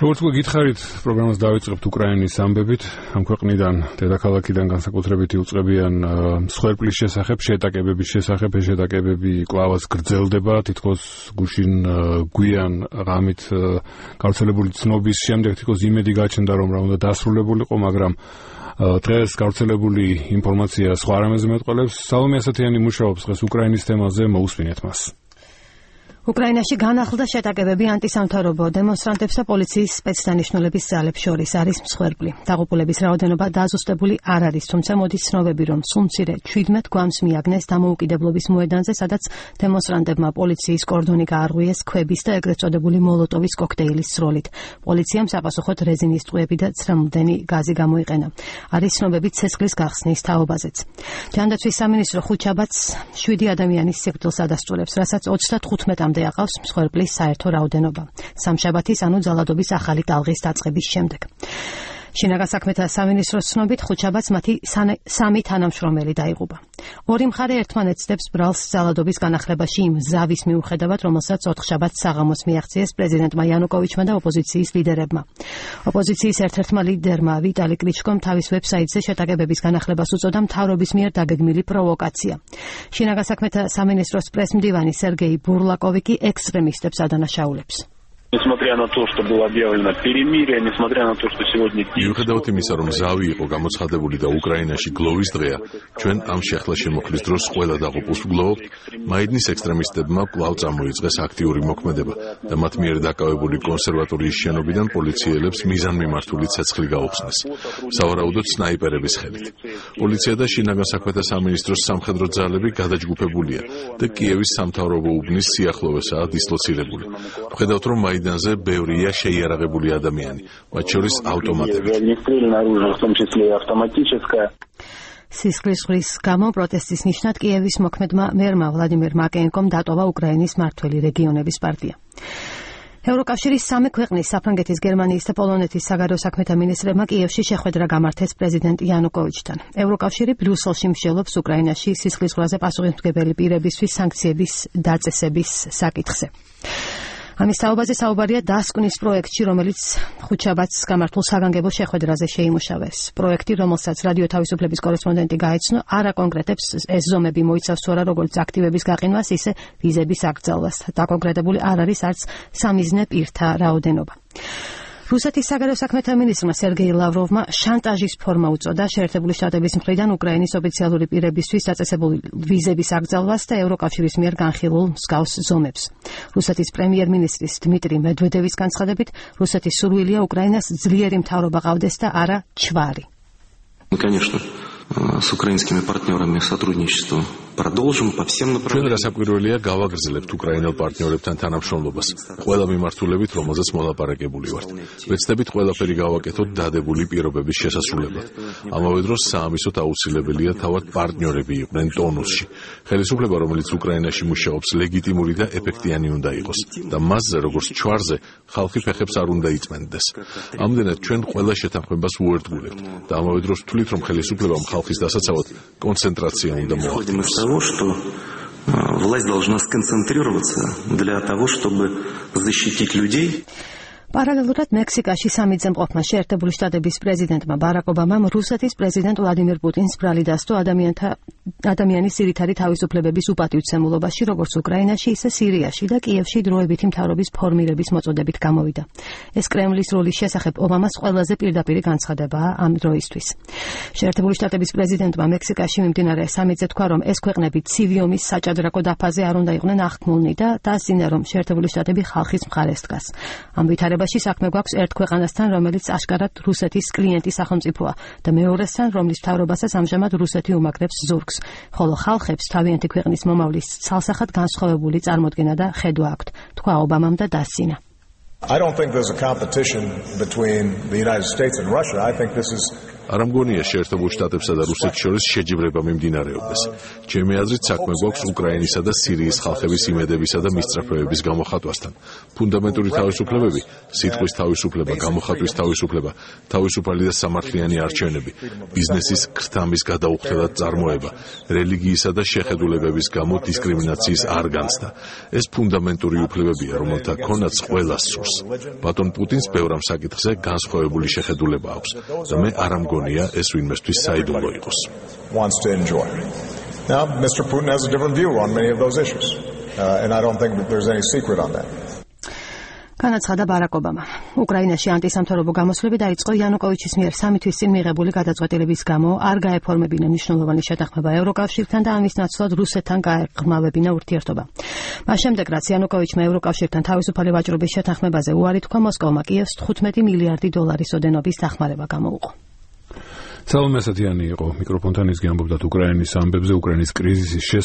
როგორც გითხარით, პროგრამას დავიწყებთ უკრაინის ამბებით. ამ ქვეყნიდან, დედაქალაქიდან განსაკუთრებით იუწყებიან მსხვერპლის შესახებ, შეტაკებების შესახებ, ეს შეტაკებები კვლავაც გრძელდება, თითქოს გუშინ გვიან ღამით გავრცელებული ცნობის შემდეგ თითქოს იმედი გაჩნდა, რომ რა უნდა დასრულებულიყო, მაგრამ დღეს გავრცელებული ინფორმაცია სხვა რამეზე მეტყველებს. სალომე ასათიანი მუშაობს დღეს უკრაინის თემაზე, მოусმინეთ მას. უკრაინაში განახლდა შეტაკებები ანტისამთავრობო დემონსტრანტებს და პოლიციის სპეცდანიშნულების ძალებს შორის არის მსხვერპლი. დაღუპულების რაოდენობა დაზუსტებული არ არის, თუმცა მოდის ცნობები, რომ სულ მცირე 17 გვამს მიაგნეს დამოუკიდებლობის მოედანზე, სადაც დემონსტრანტებმა პოლიციის კორდონი გაარღვიეს ქვების და ეგრეთ წოდებული მოლოტოვის კოქტეილის სროლით. პოლიციამ საპასუხოდ რეზინის ტყუები და ცრემლდენი გაზი გამოიყენა. არის ცნობები ცეცხლის გახსნის თაობაზეც. ჯანდაცვის სამინისტრო ხუთშაბათს 7 ადამიანის სიკვდილს ადასტურებს, რასაც 35 aqავს მსხვერპლის საერთო რაოდენობა. სამშაბათის, ანუ ძალადობის ახალი ტალღის დაწყების შემდეგ. შინაგან საქმეთა სამინისტროს ცნობით, ხუთშაბათს მათი 3 თანამშრომელი დაიღუპა. ორი მხარე ერთმანეთს ცდებს ბრალს ძალადობის განახლებაში იმ ზავის მიუხედავად, რომელსაც 4 შაბათს საღამოს მიაღწიეს პრეზიდენტმა იანუკოვიჩმა და ოპოზიციის ლიდერებმა. ოპოზიციის ერთ-ერთმა ლიდერმა ვიტალი კლიჩკომ თავის ვებსაიტზე შეტაკებების განახლებას უწოდა მთავრობის მიერ დაგეგმილი პროვოკაცია. შინაგან საქმეთა სამინისტროს პრესმდივანი სერგეი ბურლაკოვი კი ექსტრემისტებს ადანაშაულებს. Несмотря на то, что было объявлено перемирие, несмотря на то, что сегодня... მიუხედავად იმისა, რომ ზავი იყო გამოცხადებული და უკრაინაში გლოვის დღეა, ჩვენ ამ შეხლა შემოქმნის დროს ყველა დაღუპულს ვგლოვობთ, მაიდნის ექსტრემისტებმა კვლავ წამოიწყეს აქტიური მოქმედება და მათ მიერ დაკავებული კონსერვატორიის შენობიდან პოლიციელებს მიზანმიმართული ცეცხლი გაუხსნეს, სავარაუდოდ სნაიპერების ხელით. პოლიცია და შინაგან საქმეთა სამინისტროს სამხედრო ძალები გადაჯგუფებულია და კიევის სამთავრობო უბნის სიახლოვესაა დისლოცირებული. ვხედავთ, რომ მაიდანზე ბევრია შეიარაღებული ადამიანი, მათ შორის ავტომატები. სისხლის ზღვის გამო პროტესტის ნიშნად კიევის მოქმედმა მერმა ვლადიმერ მაკეენკომ დატოვა უკრაინის მმართველი რეგიონების პარტია. ევროკავშირის 3 ქვეყნის საფრანგეთის, გერმანიის და პოლონეთის საგარეო საქმეთა მინისტრებმა კიევში შეხვედრა გამართეს პრეზიდენტ იანუკოვიჩთან. ევროკავშირი ბრიუსელში მსჯელობს უკრაინაში სისხლის ზღვაზე პასუხისმგებელი პირებისთვის სანქციების დაწესების საკითხზე. ამის თაობაზე საუბარია დასკვნის პროექტში, რომელიც ხუთშაბათს გამართულ საგანგებო შეხვედრაზე შეიმუშავეს. პროექტი, რომელსაც რადიო თავისუფლების კორესპონდენტი გაეცნო, არ აკონკრეტებს ეს ზომები მოიცავს თუ არა როგორც აქტივების გაყინვას, ისე ვიზების აკრძალვას. დაკონკრეტებული არ არის არც სამიზნე პირთა რაოდენობა. რუსეთის საგარეო საქმეთა მინისტრმა სერგეი ლავროვმა შანტაჟის ფორმა უწოდა შეერთებული შტატების მხრიდან უკრაინის ოფიციალური პირებისთვის დაწესებული ვიზების აკრძალვას და ევროკავშირის მიერ განხილულ მსგავს ზომებს. რუსეთის პრემიერ-მინისტრის დმიტრი მედვედევის განცხადებით, რუსეთის სურვილია უკრაინას ძლიერი მთავრობა ყავდეს და არა ჩვარი. Конечно, с украинскими партнерами сотрудничество продолжим по всем направлениям. ჩვენ გასაკვირველია გავაგრძელებთ უკრაინელ პარტნიორებთან თანამშრომლობას, ყველა მიმართულებით, რომელზეც მოლაპარაკებული ვართ. ვეცდებით ყველაფერი გავაკეთოთ დადებული პირობების შესასრულებლად. ამავე დროს საამისოდ აუცილებელია თავად პარტნიორები იყვნენ ტონუსში. ხელისუფლება, რომელიც უკრაინაში მუშაობს, ლეგიტიმური და ეფექტიანი უნდა იყოს და მასზე, როგორც ჩვარზე, ხალხი ფეხებს არ უნდა იწმენდეს. ამდენად ჩვენ ყველა შეთანხმებას უერთგულებთ და ამავე დროს ვთვლით, რომ ხელისუფლებამ ხალხის დასაცავად კონცენტრაცია უნდა მოახდინოს. Того, что власть должна сконцентрироваться для того, чтобы защитить людей. Параллелურად მექსიკაში სამიძემყოფმა შეერთებული შტატების პრეზიდენტმა ბარაკ ობამამ რუსეთის პრეზიდენტ ვლადიმირ პუტინს ბრალი დასდო ადამიანის ძირითადი თავისუფლებების უპატივცემულობაში, როგორც უკრაინაში, ისე სირიაში და კიევში დროებითი მთავრობის ფორმირების მოწოდებით გამოვიდა. ეს კრემლის როლის შესახებ ობამას ყველაზე პირდაპირი განცხადებაა ამ დროისთვის. შეერთებული შტატების პრეზიდენტმა მექსიკაში მიმდინარე სამიტზე თქვა, რომ ეს ქვეყნები ცივი ომის საჭადრაკო დაფაზე არ უნდა იყვნენ აღქმულნი და დასძინა, რომ შეერთებული შტატები ხალხის მხარეს დგას. ამ ვითარებაში საქმე გვაქვს ერთ ქვეყანასთან, რომელიც აშკარად რუსეთის კლიენტი სახელმწიფოა და მეორესთან, რომლის მთავრობასაც ამჟამად რუსეთი უმაგრებს ზურგს, ხოლო ხალხებს თავიანთი ქვეყნის მომავლის ცალსახად განსხვავებული წარმოდგენა და ხედვა აქვთ, თქვა ობამამ და დასძინა. I don't think there's a competition between the United States and Russia. I think this is არ ამგონია შეერთებულ შტატებსა და რუსეთს შორის შეჯიბრება მიმდინარეობდეს. ჩემი აზრით საქმე გვაქვს უკრაინისა და სირიის ხალხების იმედებისა და მისწრაფებების გამოხატვასთან. ფუნდამენტური თავისუფლებები, სიტყვის თავისუფლება, გამოხატვის თავისუფლება, თავისუფალი და სამართლიანი არჩევნები, ბიზნესის ქრთამის გადაუხდელად წარმოება, რელიგიისა და შეხედულებების გამო დისკრიმინაციის არ განცდა. ეს ფუნდამენტური უფლებებია, რომელთა ქონაც ყველას სურს. ბატონ პუტინს ბევრ ამ საკითხზე განსხვავებული შეხედულება აქვს და მე არ ამგონია ეს ვინმესთვის საიდუმლო იყოს. Now, Mr. Putin has a different view on many of those issues, and I don't think that there's any secret on that. განაცხადა ბარაკ ობამა. უკრაინაში ანტისამთავრობო გამოსვლები დაიწყო იანუკოვიჩის მიერ 3 თვის წინ მიღებული გადაწყვეტილების გამო არ გაეფორმებინა მნიშვნელოვანი შეთანხმება ევროკავშირთან და ამის ნაცვლად რუსეთთან გაეღრმავებინა ურთიერთობა. მას შემდეგ, რაც იანუკოვიჩმა ევროკავშირთან თავისუფალი ვაჭრობის შეთანხმებაზე უარი თქვა, მოსკოვმა კიევს 15 მილიარდი დოლარის ოდენობის დახმარება გამოუყო. სალომე ასათიანი იყო მიკროფონთან ის გიამბობდა უკრაინის ამბებზე, უკრაინის კრიზისის